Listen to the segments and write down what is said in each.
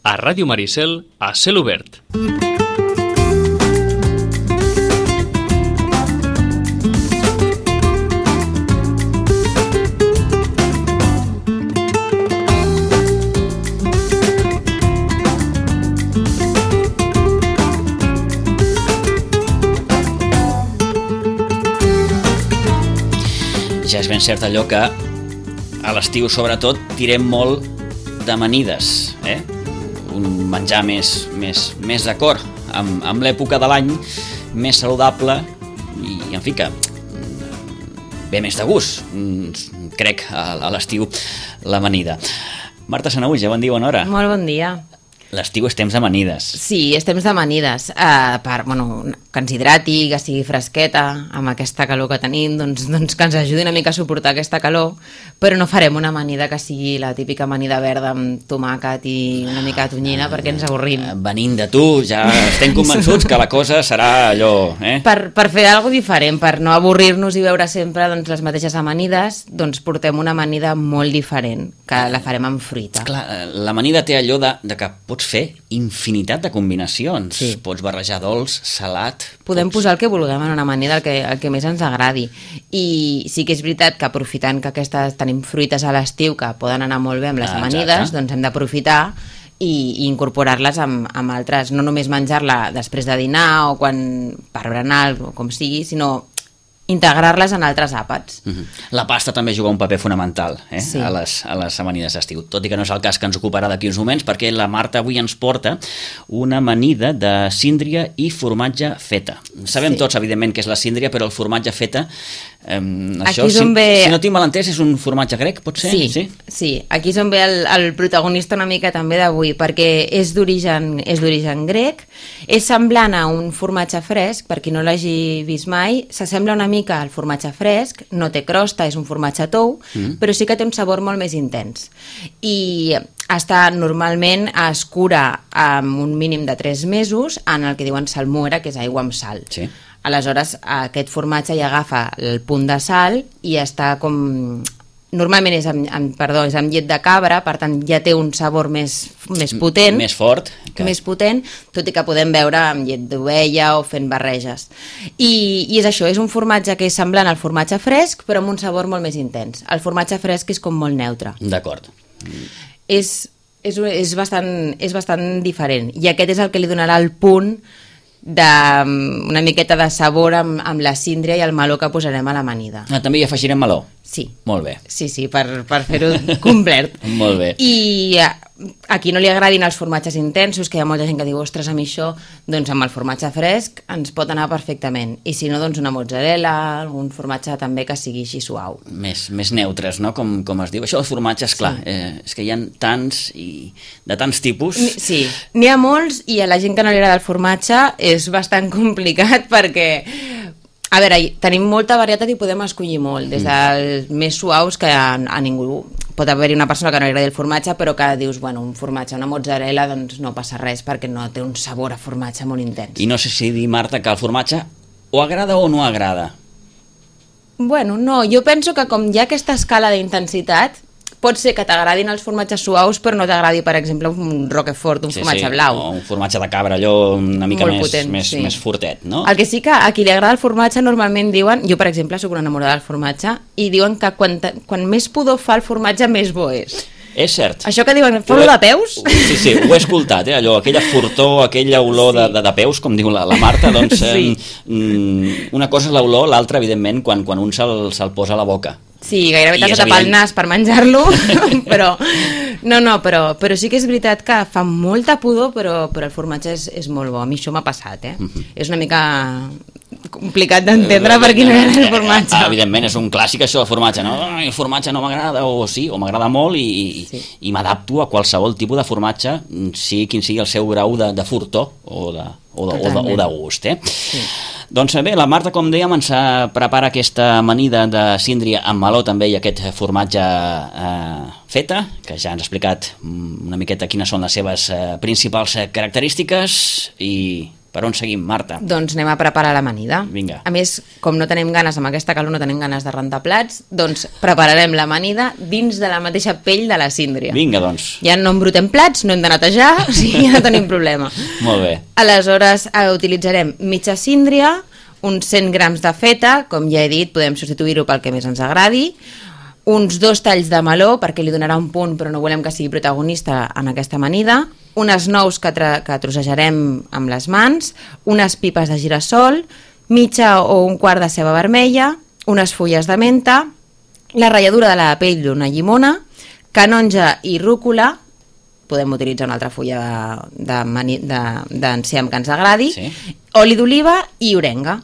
a Ràdio Maricel, a Cel Obert. Ja és ben cert allò que a l'estiu, sobretot, tirem molt d'amanides, un menjar més d'acord amb l'època de l'any, més saludable i, en fi, que ve més de gust, crec, a l'estiu, l'amanida. Marta Sanaüja, bon dia, bona hora. Molt bon dia. L'estiu és temps d'amanides. Sí, és temps d'amanides. Que ens hidrati, que sigui fresqueta, amb aquesta calor que tenim, doncs que ens ajudi una mica a suportar aquesta calor, però no farem una amanida que sigui la típica amanida verda amb tomàquet i una mica de tonyina, perquè ens avorrim. Venint de tu, ja estem convençuts que la cosa serà allò... Per fer alguna cosa diferent, per no avorrir-nos i veure sempre les mateixes amanides, doncs portem una amanida molt diferent, que la farem amb fruita. Clar, l'amanida té allò de que pots fer infinitat de combinacions. Sí. Pots barrejar dolç, salat... Podem posar el que vulguem en una amanida, el que més ens agradi. I sí que és veritat que aprofitant que tenim fruites a l'estiu que poden anar molt bé amb les amanides, doncs hem d'aprofitar i incorporar-les amb altres, no només menjar-la després de dinar o per berenar o com sigui, sinó integrar-les en altres àpats. La pasta també juga un paper fonamental Sí. a les amanides d'estiu, tot i que no és el cas que ens ocuparà d'aquí uns moments, perquè la Marta avui ens porta una amanida de síndria i formatge feta. Sabem tots, evidentment, què és la síndria, però el formatge feta, això, si no tinc mal entès, és un formatge grec, pot ser? Sí. Aquí és on ve el protagonista una mica també d'avui, perquè és d'origen grec, és semblant a un formatge fresc, per qui no l'hagi vist mai, s'assembla una mica al formatge fresc, no té crosta, és un formatge tou, però sí que té un sabor molt més intens. I normalment es cura amb un mínim de 3 mesos en el que diuen salmuera, que és aigua amb sal. Sí. Aleshores, aquest formatge ja agafa el punt de sal i està com... Normalment és amb llet de cabra, per tant ja té un sabor més potent. Més fort. Més potent, tot i que podem veure amb llet d'ovella o fent barreges. I és això, és un formatge que és semblant al formatge fresc, però amb un sabor molt més intens. El formatge fresc és com molt neutre. D'acord. És bastant diferent. I aquest és el que li donarà el punt d'una miqueta de sabor amb la síndria i el meló que posarem a l'amanida. També hi afegirem meló? Sí. Molt bé. Sí, per fer-ho complet. Molt bé. I a qui no li agradin els formatges intensos, que hi ha molta gent que diu, ostres, a mi això, doncs amb el formatge fresc ens pot anar perfectament. I si no, doncs una mozzarella, algun formatge també que sigui així suau. Més neutres, no? Com es diu. Això dels formatges, clar, és que hi ha tants i de tants tipus. Sí, n'hi ha molts i a la gent que no li agrada el formatge és bastant complicat perquè... A veure, tenim molta varietat i podem escollir molt, des dels més suaus que a ningú... Pot haver-hi una persona que no li agradi el formatge, però que dius, bueno, un formatge, una mozzarella, doncs no passa res perquè no té un sabor a formatge molt intens. I no sé si dir, Marta, que el formatge o agrada o no agrada. Bueno, no, jo penso que com hi ha aquesta escala d'intensitat, pot ser que t'agradin els formatges suaus, però no t'agradi, per exemple, un roquefort, un formatge blau. O un formatge de cabra, allò una mica més fortet, no? El que sí que a qui li agrada el formatge normalment diuen, jo per exemple soc una enamorada del formatge, i diuen que quan més pudor fa el formatge, més bo és. És cert. Això que diuen, fa olor de peus? Sí, ho he escoltat, allò, aquella fortor, aquella olor de peus, com diu la Marta, doncs una cosa és l'olor, l'altra, evidentment, quan un se'l posa a la boca. Sí, gairebé t'has de tapar el nas per menjar-lo, però sí que és veritat que fa molta pudor, però el formatge és molt bo. A mi això m'ha passat, És una mica complicat d'entendre per qui no hi ha el formatge. Evidentment, és un clàssic això del formatge, no? El formatge no m'agrada, o m'agrada molt i m'adapto a qualsevol tipus de formatge, sigui quin sigui el seu grau de furtor o de gust, Sí. Doncs bé, la Marta, com dèiem, ens prepara aquesta amanida de síndria amb meló també i aquest formatge feta, que ja ens ha explicat una miqueta quines són les seves principals característiques i Per on seguim, Marta? Doncs anem a preparar l'amanida. Vinga. A més, com no tenim ganes, amb aquesta calor no tenim ganes de rentar plats, doncs prepararem l'amanida dins de la mateixa pell de la síndria. Vinga, doncs. Ja no embrutem plats, no hem de netejar, o sigui, ja no tenim problema. Molt bé. Aleshores, utilitzarem mitja síndria, uns 100 grams de feta, com ja he dit, podem substituir-ho pel que més ens agradi, uns 2 talls de meló, perquè li donarà un punt, però no volem que sigui protagonista en aquesta amanida, unes nous que trossejarem amb les mans, unes pipes de girassol, mitja o un quart de ceba vermella, unes fulles de menta, la ratlladura de la pell d'una llimona, canonja i rúcula, podem utilitzar una altra fulla d'enciam que ens agradi, Sí. oli d'oliva i orenga.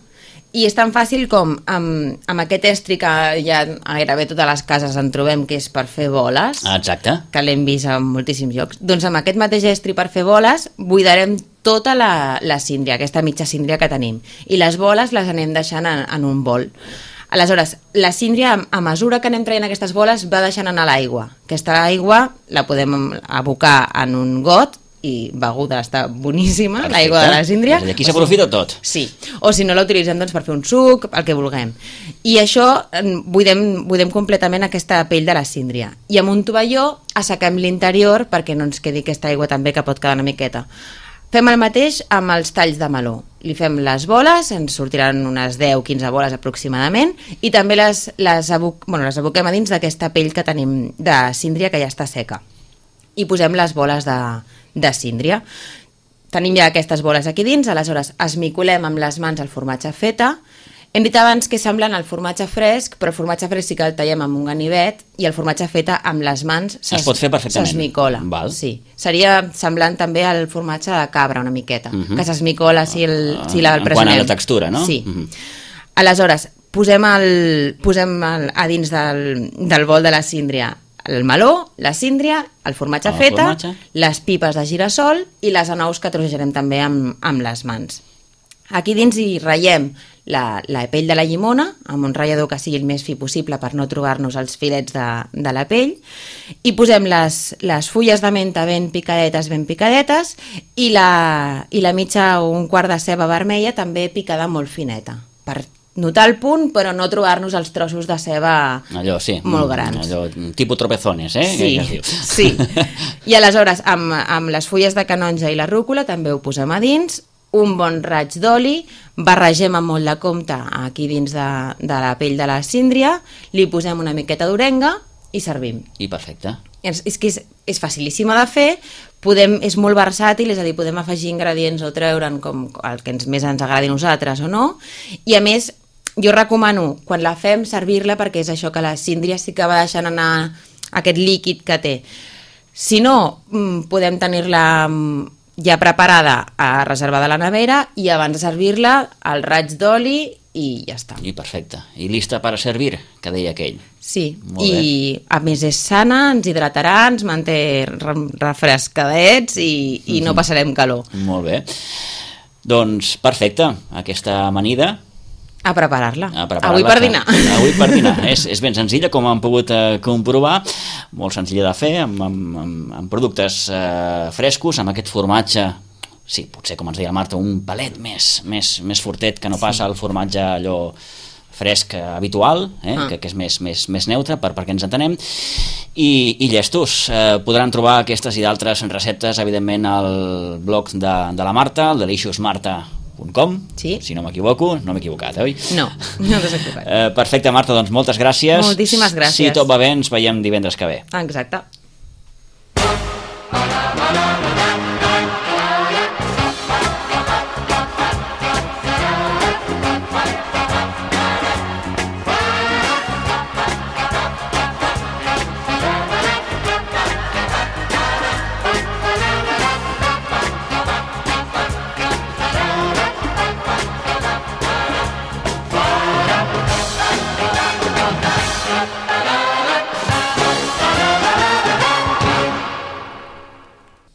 I és tan fàcil com amb aquest estri que ja a gairebé totes les cases en trobem, que és per fer boles, Exacte. que l'hem vist en moltíssims llocs. Doncs amb aquest mateix estri per fer boles buidarem tota la síndria, aquesta mitja síndria que tenim. I les boles les anem deixant en un bol. Aleshores, la síndria, a mesura que anem traient aquestes boles, va deixant anar l'aigua. Aquesta aigua la podem abocar en un got i beguda, està boníssima, Perfecte. l'aigua de la síndria. És a dir, aquí s'aprofita tot. Sí, o si no la utilitzem doncs, per fer un suc, el que vulguem. I això buidem completament aquesta pell de la síndria. I amb un tovalló assequem l'interior perquè no ens quedi aquesta aigua també que pot quedar una miqueta. Fem el mateix amb els talls de meló. Li fem les boles, ens sortiran unes 10-15 boles aproximadament, i també les aboquem a dins d'aquesta pell que tenim de síndria que ja està seca. I posem les boles de síndria. Tenim ja aquestes boles aquí dins, aleshores esmicolem amb les mans el formatge feta. Hem dit abans que semblen el formatge fresc, però el formatge fresc sí que el tallem amb un ganivet i el formatge feta amb les mans Es pot fer perfectament. s'esmicola. Val. Sí. Seria semblant també al formatge de cabra una miqueta, que s'esmicola si el presionem. En quant a la textura, no? Sí. Aleshores, posem a dins del bol de la síndria el meló, la síndria, el formatge El feta, formatge. les pipes de girassol i les anous que trossejarem també amb les mans. Aquí dins hi ratllem la pell de la llimona, amb un ratllador que sigui el més fi possible per no trobar-nos els filets de la pell, i posem les fulles de menta ben picadetes, i la mitja o un quart de ceba vermella també picada molt fineta, per notar el punt, però no trobar-nos els trossos de ceba Allò, sí. molt grans. Allò, tipus tropezones, eh? Sí, Que es diu. sí. I aleshores, amb les fulles de canonja i la rúcula també ho posem a dins, un bon raig d'oli, barregem amb molt de compte aquí dins de la pell de la síndria, li posem una miqueta d'orenga i servim. I perfecte. És que és facilíssima de fer, és molt versàtil, és a dir, podem afegir ingredients o treure'n com el que més ens agradi a nosaltres o no, i a més jo recomano, quan la fem, servir-la perquè és això, que la síndria sí que va deixant anar aquest líquid que té. Si no, podem tenir-la ja preparada, reservada a la nevera, i abans de servir-la, el raig d'oli i ja està. I perfecte. I lista per a servir, que deia aquell. Sí, Molt bé. i a més és sana, ens hidratarà, ens manté refrescadets i no passarem calor. Molt bé. Doncs perfecte, aquesta amanida A preparar-la. a preparar-la, Avui per dinar. Avui per dinar. És ben senzilla, com hem pogut comprovar, molt senzilla de fer, amb productes frescos, amb aquest formatge, sí, potser com ens deia la Marta, un palet més fortet que no passa el formatge allò fresc habitual, que és més neutre, perquè ens entenem, i llestos. Podran trobar aquestes i d'altres receptes, evidentment, al blog de la Marta, el deliciousmarta.com, Sí. si no m'equivoco, no m'he equivocat, oi? No t'has equivocat. Perfecte, Marta, doncs moltes gràcies. Moltíssimes gràcies. Si tot va bé, ens veiem divendres que ve. Exacte.